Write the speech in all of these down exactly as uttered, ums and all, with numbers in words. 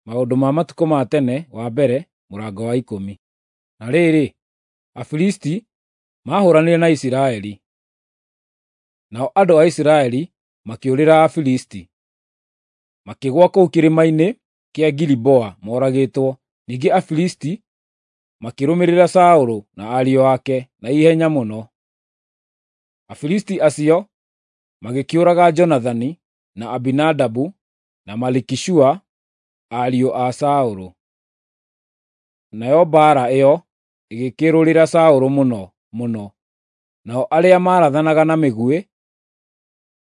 Maũndũ ma Matukũ ma Tene wa mbere mũrango wa ikũmi. Na rĩrĩ, Afilisti maahũranire na Isiraeli, nao andũ a Isiraeli makĩũrĩra Afilisti, makĩgũa kũu kĩrĩma-inĩ kĩa Giliboa moragĩtwo. Ningĩ Afilisti makĩrũmĩrĩra Saũlũ na ariũ ake na ihenya mũno. Afilisti acio magĩkĩũraga Jonathani, na Abinadabu, na Malikishua, ariũ a Saũlũ. Nayo mbaara ĩyo ĩgĩkĩrũrĩra Saũlũ mũno mũno, nao arĩa maarathanaga na mĩguĩ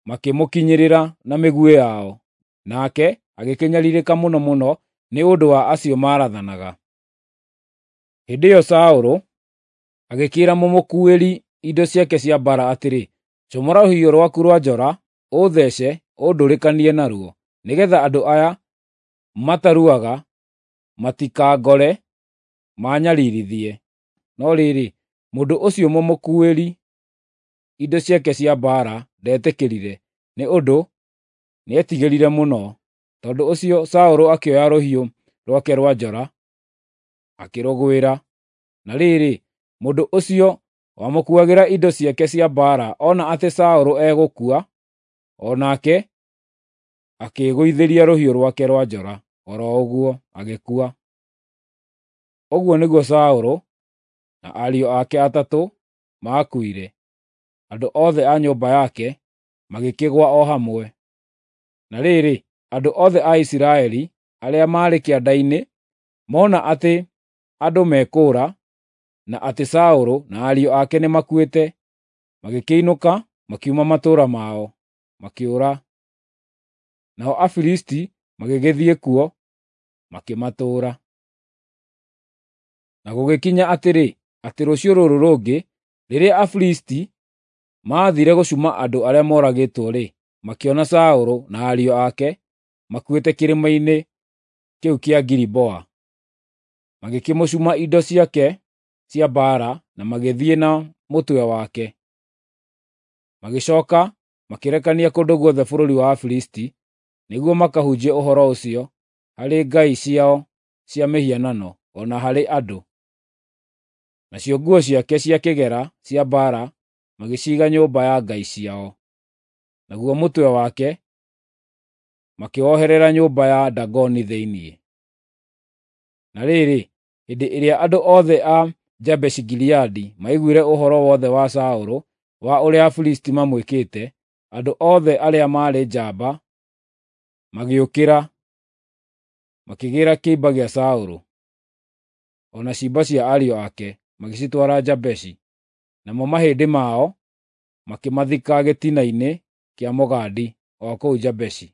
makĩmũkinyĩrĩra na mĩguĩ yao, nake agĩkĩnyariirĩka mũno mũno nĩ ũndũ wa acio maarathanaga. Hĩndĩ ĩyo Saũlũ agĩkĩĩra mũmũkuuĩri indo ciake cia mbaara atĩrĩ, “Comora rũhiũ rwaku rwa njora, ũũthece ũndũrĩkanie naruo, nĩgeetha andũ aya mataruaga matikangore maanyariirithie.” No rĩrĩ, mũndũ ũcio mũmũkuuĩri indo ciake cia mbaara ndetĩkĩrire, nĩ ũndũ nĩetigĩrire mũno. Tondũ ũcio Saũlũ akĩoya rũhiũ rwake rwa njora, akĩrũgwĩra. Na rĩrĩ, mũndũ ũcio wamũkuuagĩra indo ciake cia mbaara ona atĩ Saũlũ egũkua, o nake akĩĩgũithĩria rũhiũ rwake rwa njora o ro ũguo, agĩkua. Ũguo nĩguo Saũlũ na ariũ ake atatũ maakuire, andũ othe a nyũmba yake magĩkĩgũa o hamwe. Na rĩrĩ, andũ othe a Isiraeli arĩa maarĩ kĩanda-inĩ mona atĩ andũ mekũũra, na atĩ Saũlũ na ariũ ake nĩmakuĩte, magĩkĩinũka makiuma matũũra mao, makĩũra. Nao Afilisti magĩgĩthiĩ kuo, makĩmatũũra. Na gũgĩkinya atĩrĩ, atĩ rũciũ rũrũ rũngĩ, rĩrĩa Afilisti maathiire gũcuma andũ arĩa moragĩtwo-rĩ, makĩona Saũlũ na ariũ ake makuĩte kĩrĩma-inĩ kĩu kĩa Giliboa. Magĩkĩmũcuma indo ciake cia mbaara na magĩthiĩ na mũtwe wake. Magĩcooka makĩrekania kũndũ guothe bũrũri wa Afilisti nĩguo makahunjie ũhoro ũcio harĩ ngai ciao cia mĩhianano, o na harĩ andũ. Nacio nguo ciake cia kĩgera cia mbaara magĩciiga nyũmba ya ngai ciao, naguo mũtwe wake makĩwoherera nyũmba ya Dagoni thĩinĩ. Na rĩrĩ, hĩndĩ ĩrĩa andũ othe a Jabeshi-Gileadi maiguire ũhoro wothe wa Saũlũ, wa ũrĩa Afilisti mamwĩkĩte, andũ othe arĩa maarĩ njamba magĩũkĩra, makĩgĩĩra kĩimba gĩa Saũlũ, o na ciimba cia ariũ ake, magĩcitwara Jabeshi. Namo mahĩndĩ mao makĩmathika gĩtina-inĩ kĩa mũgandi o kũu Jabeshi.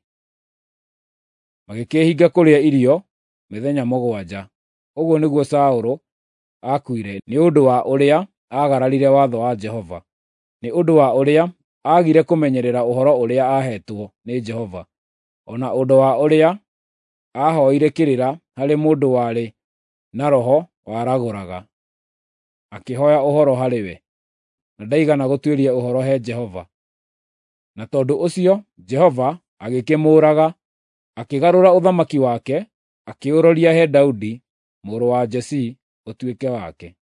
Magĩkĩĩhinga kũrĩa irio mĩthenya mũgwanja. Ũguo nĩguo Saũlũ aakuire nĩ ũndũ wa ũrĩa aagararire watho wa Jehova, nĩ ũndũ wa ũrĩa aagire kũmenyerera ũhoro ũrĩa aaheetwo nĩ Jehova, o na ũndũ wa ũrĩa aahooire kĩrĩra harĩ mũndũ warĩ na roho waragũraga, akĩhooya ũhoro harĩ we, na ndaigana gũtuĩria ũhoro he Jehova. Na tondũ ũcio Jehova agĩkĩmũũraga, akĩgarũra ũthamaki wake, akĩũroria he Daudi mũrũ wa Jesii ũtuĩke wake.